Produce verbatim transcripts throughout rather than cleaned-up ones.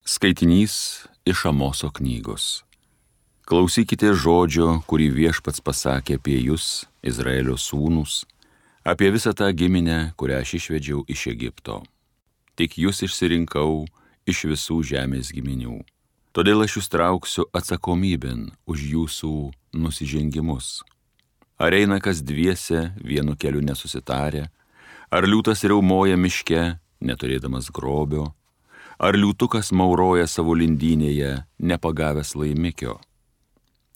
Skaitinys iš Amoso knygos. Klausykite žodžio, kurį Viešpats pasakė apie jūs, Izraelio sūnus, apie visą tą giminę, kurią aš išvedžiau iš Egipto. Tik jūs išsirinkau iš visų žemės giminių. Todėl aš jūs trauksiu atsakomybėn už jūsų nusižengimus. Ar eina kas dviese vienu keliu nesusitarę, ar liūtas riaumoja miške, neturėdamas grobio, ar liūtukas mauroja savo lindynėje, nepagavęs laimikio,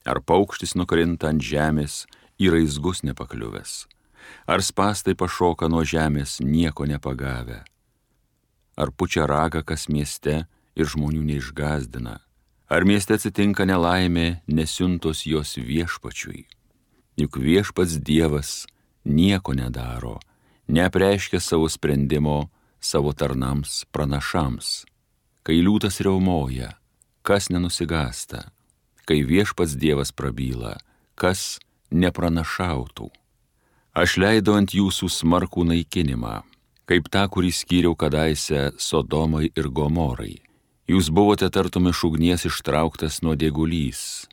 ar paukštis nukrinta ant žemės į raizgus nepakliuvęs, ar spąstai pašoka nuo žemės nieko nepagavę, ar pučia ragą kas mieste ir žmonių neišgazdina, ar mieste atsitinka nelaimė, nesiuntos jos viešpačiui. Juk viešpats Dievas nieko nedaro, neapreiškia savo sprendimo savo tarnams pranašams. Kai liūtas riaumoja, kas nenusigąsta, kai viešpats Dievas prabyla, kas nepranašautų. Aš leidau ant jūsų smarkų naikinimą, kaip tą, kurį skyriau kadaise Sodomai ir Gomorai. Jūs buvote tartum iš ugnies ištrauktas nuodėgulys.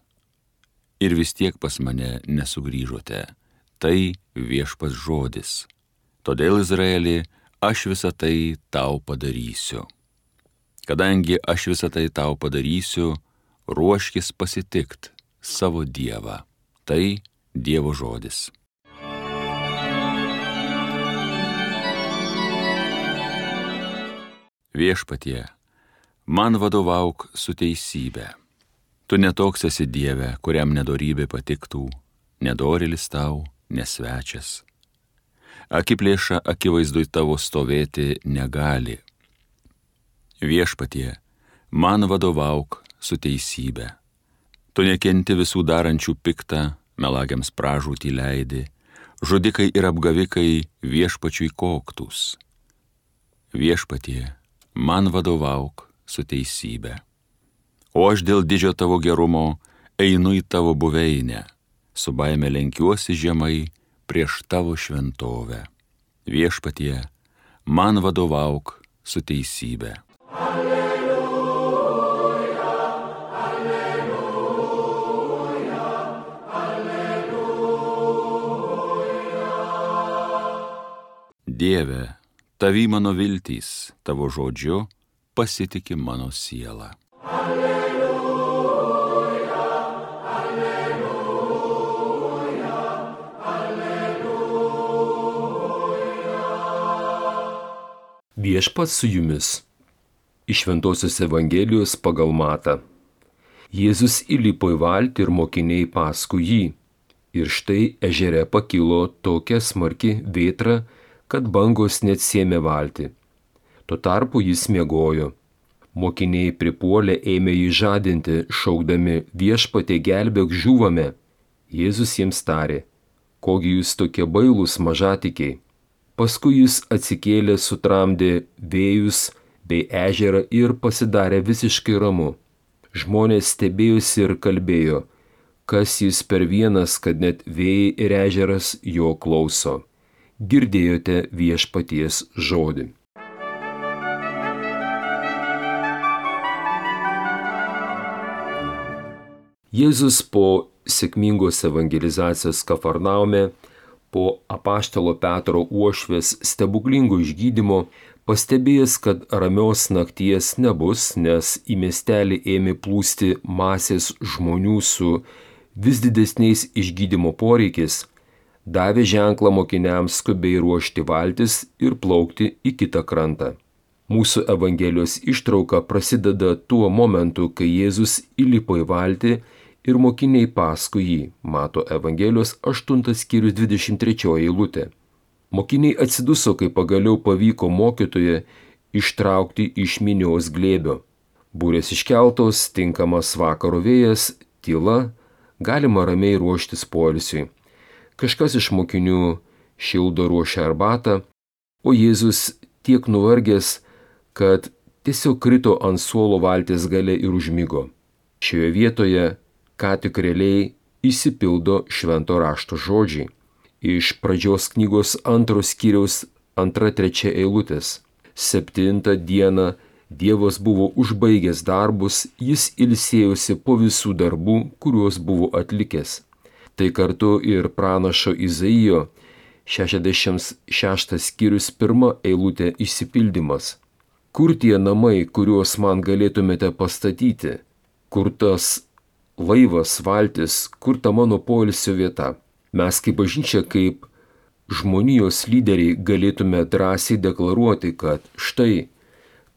Ir vis tiek pas mane nesugrįžote. Tai viešpats žodis. Todėl, Izraeli, aš visą tai tau padarysiu. Kadangi aš visą tai tau padarysiu, ruoškis pasitikt savo Dievą. Tai Dievo žodis. Viešpatie, man vadovauk su teisybė. Tu netoks esi Dieve, kuriam nedorybė patiktų, nedorėlis tau, nesvečias. Akiplėša akivaizdui tavo stovėti negali. Viešpatie, man vadovauk su teisybė. Tu nekenti visų darančių piktą, melagiams pražūtį leidi, žudikai ir apgavikai viešpačiui koktus. Viešpatie, man vadovauk su teisybė. O aš dėl didžio tavo gerumo einu į tavo buveinę, su baime lenkiuosi žemai prieš tavo šventovę. Viešpatie, man vadovauk su teisybė. Alleluja, alleluja, alleluja. Dieve, tavy mano viltys, tavo žodžiu pasitiki mano siela. Alleluja, alleluja, alleluja. Viešpats su jumis. Iš Šventosios Evangelijos pagal Matą. Jėzus įlipo į valtį ir mokiniai paskui jį. Ir štai ežere pakilo tokia smarki vėtra, kad bangos net sėmė valtį. Tuo tarpu jis miegojo. Mokiniai pripuolę ėmė jį žadinti, šaukdami: Viešpatie, gelbėk, žūvame. Jėzus jiems tarė: kogi jūs tokie bailūs mažatikiai. Paskui jis atsikėlė, sutramdė vėjus bei ežerą ir pasidarė visiškai ramu. Žmonės stebėjosi ir kalbėjo: kas jis per vienas, kad net vėjai ir ežeras jo klauso. Girdėjote viešpaties žodį. Jėzus po sėkmingos evangelizacijos Kafarnaume, po apaštalo Petro uošvės stebuklingo išgydymo, pastebėjęs, kad ramios nakties nebus, nes į miestelį ėmė plūsti masės žmonių su vis didesniais išgydymo poreikiais, davė ženklą mokiniams skubiai ruošti valtis ir plaukti į kitą krantą. Mūsų Evangelijos ištrauka prasideda tuo momentu, kai Jėzus įlipo į valtį ir mokiniai paskui jį, Mato Evangelijos aštuntas skyrius dvidešimt trečioji eilutė. Mokiniai atsiduso, kai pagaliau pavyko mokytoją ištraukti iš minios glėbio. Būrės iškeltos, tinkamas vakaro vėjas, tyla, galima ramiai ruoštis poilsiui. Kažkas iš mokinių šildo ruošia arbatą, o Jėzus tiek nuvargęs, kad tiesiog krito ant suolo valties gale ir užmigo. Šioje vietoje ką tik realiai išsipildo švento rašto žodžiai. Iš pradžios knygos antros skyriaus antra trečia eilutės. Septintą dieną Dievas buvo užbaigęs darbus, jis ilsėjosi po visų darbų, kuriuos buvo atlikęs. Tai kartu ir pranašo Izaijo šešiasdešimt šeštas skyrius pirma eilutė išsipildymas. Kur tie namai, kuriuos man galėtumėte pastatyti? Kur tas laivas, valtis, kur ta mano poilsio vieta? Mes kaip bažnyčia, kaip žmonijos lyderiai galėtume drąsiai deklaruoti, kad štai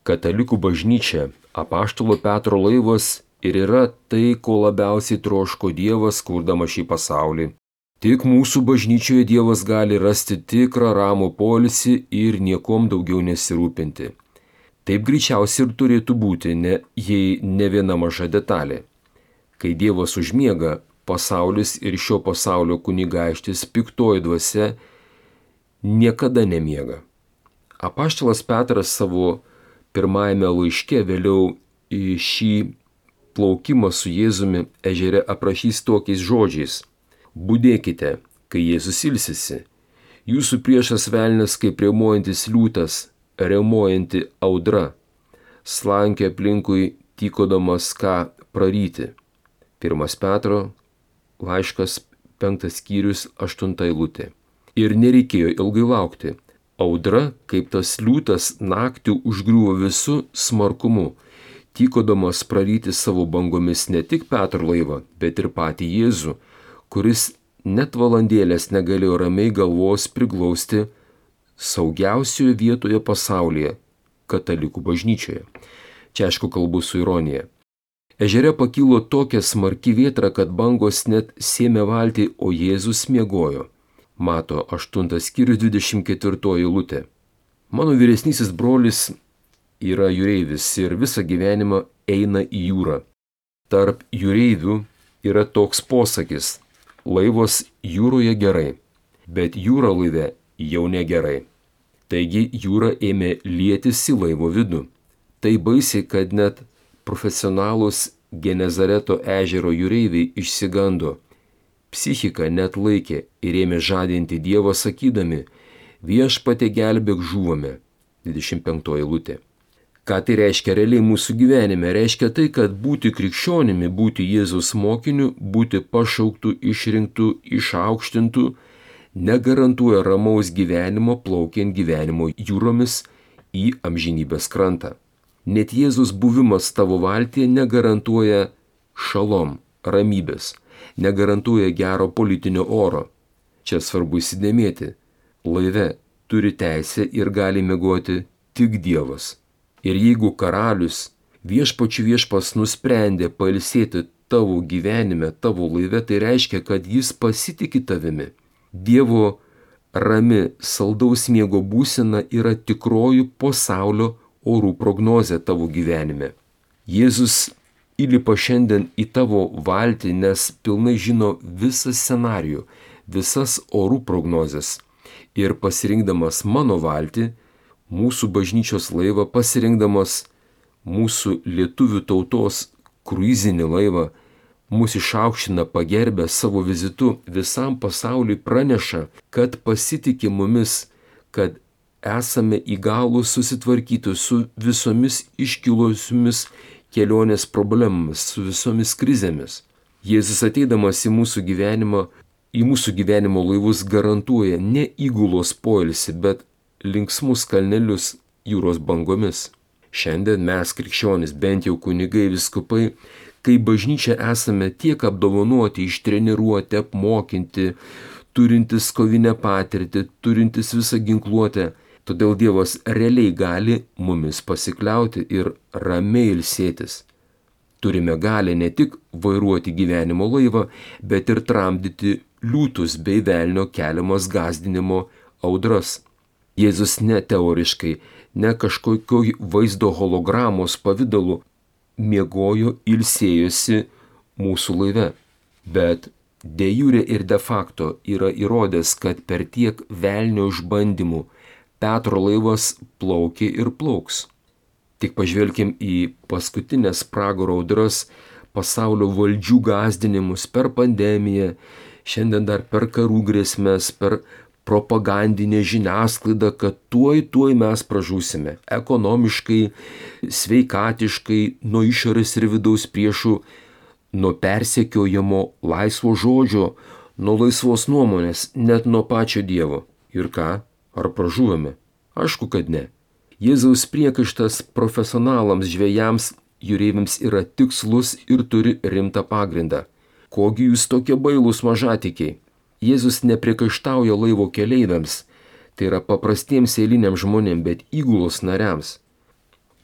katalikų bažnyčia, apaštalo Petro laivas ir yra tai, ko labiausiai troško Dievas, kurdama šį pasaulį. Tik mūsų bažnyčioje Dievas gali rasti tikrą ramų poilsį ir niekom daugiau nesirūpinti. Taip greičiausiai ir turėtų būti, ne, jei ne viena maža detalė. Kai Dievas užmiega, pasaulis ir šio pasaulio kunigaikštis piktoji dvasia niekada nemiega. Apaštalas Petras savo pirmajame laiške vėliau į šį plaukimą su Jėzumi ežere aprašys tokiais žodžiais: Budėkite, kai Jėzus ilsisi. Jūsų priešas velnias kaip riaumojantis liūtas, riaumojanti audra, slankė aplinkui tykodamas ką praryti. Pirmas Petro laiškas penktas skyrius aštunta eilutė. Ir nereikėjo ilgai laukti. Audra, kaip tas liūtas, naktį užgriuvo visų smarkumu, tykodamas praryti savo bangomis ne tik Petro laivą, bet ir patį Jėzų, kuris net valandėlės negalėjo ramiai galvos priglausti saugiausioje vietoje pasaulyje – katalikų bažnyčioje. Čia aišku kalbu su ironija. Ežere pakilo tokia smarki vėtra, kad bangos net sėmė valtį, o Jėzus miegojo. Mato aštuntas skyrius dvidešimt ketvirtoji eilutė. Mano vyresnysis brolis yra jūreivis ir visą gyvenimą eina į jūrą. Tarp jūreivių yra toks posakis: laivas jūroje gerai, bet jūra laive jau negerai. Taigi jūra ėmė lietis į laivo vidų. Tai baisiai, kad net profesionalūs Genezareto ežero jūreiviai išsigando. Psichika net laikė ir ėmė žadinti Dievą sakydami: viešpatie gelbėk, žūvame. dvidešimt penktoji eilutė. Ką tai reiškia realiai mūsų gyvenime? Reiškia tai, kad būti krikščionimi, būti Jėzaus mokiniu, būti pašauktų, išrinktų, išaukštintų, negarantuoja ramaus gyvenimo plaukiant gyvenimo jūromis į amžinybės krantą. Net Jėzus buvimas tavo valtyje negarantuoja šalom, ramybės, negarantuoja gero politinio oro. Čia svarbu įsidėmėti. Laive turi teisę ir gali miegoti tik Dievas. Ir jeigu karalius, viešpačių viešpas nusprendė pailsėti tavo gyvenime, tavo laive, tai reiškia, kad jis pasitiki tavimi. Dievo rami saldaus miego būsena yra tikroji pasaulio orų prognozė tavo gyvenime. Jėzus įlipa šiandien į tavo valtį, nes pilnai žino visą scenarijų, visas orų prognozes. Ir pasirinkdamas mano valtį, mūsų bažnyčios laivą, pasirinkdamas mūsų lietuvių tautos kruizinį laivą, mūsų išaukština pagerbę savo vizitu, visam pasauliui praneša, kad pasitikė mumis, kad esame įgalūs susitvarkyti su visomis iškilusiomis kelionės problemomis, su visomis krizėmis. Jėzus ateidamas į mūsų gyvenimą, į mūsų gyvenimo laivus garantuoja ne įgulos poilsį, bet linksmus kalnelius jūros bangomis. Šiandien mes, krikščionys, bent jau kunigai, vyskupai, kai bažnyčia esame tiek apdovanoti, ištreniruoti, apmokinti, turintis kovinę patirtį, turintis visą ginkluotę. Todėl Dievas realiai gali mumis pasikliauti ir ramiai ilsėtis. Turime galę ne tik vairuoti gyvenimo laivą, bet ir tramdyti liūtus bei velnio keliamas gąsdinimo audras. Jėzus ne teoriškai, ne kažkokio vaizdo hologramos pavidalu miegojo, ilsėjosi mūsų laive, bet de jure ir de facto yra įrodęs, kad per tiek velnio išbandymų Petro laivas plaukė ir plauks. Tik pažvelkim į paskutinės pragaro audras, pasaulio valdžių gąsdinimus per pandemiją, šiandien dar per karų grėsmės, per propagandinė žiniasklaida, kad tuoj tuoj mes pražūsime ekonomiškai, sveikatiškai, nuo išorės ir vidaus priešų, nuo persekiojimo laisvo žodžio, nuo laisvos nuomonės, net nuo pačio Dievo. Ir ką? Ar pražuvome? Aišku, kad ne. Jėzaus priekaištas profesionalams žvejams, jūreiviams yra tikslus ir turi rimtą pagrindą. Kogi jūs tokie bailūs mažatikiai? Jėzus nepriekaištauja laivo keleiviams, tai yra paprastiems eiliniams žmonėms, bet įgulos nariams.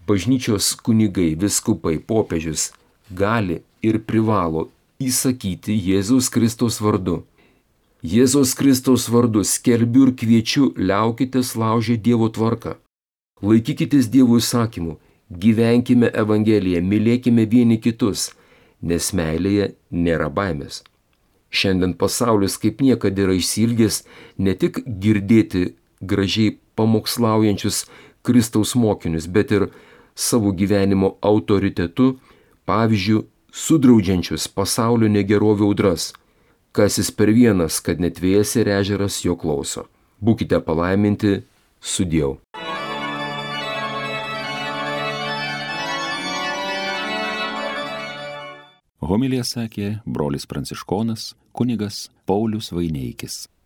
Bažnyčios kunigai, vyskupai, popiežius gali ir privalo įsakyti Jėzaus Kristaus vardu. Jėzaus Kristaus vardu skelbiu ir kviečiu, liaukitės laužę Dievo tvarką. Laikykitės Dievo įsakymų, gyvenkime Evangeliją, mylėkime vieni kitus, nes meilėje nėra baimės. Šiandien pasaulis kaip niekada yra išsilgęs ne tik girdėti gražiai pamokslaujančius Kristaus mokinius, bet ir savo gyvenimo autoritetu, pavyzdžiu, sudraudžiančius pasaulio negerovių audras. Kas jis per vienas, kad net vėjas ir ežeras jo klauso. Būkite palaiminti, sudieu. Homiliją sakė brolis pranciškonas kunigas Paulius Vaineikis.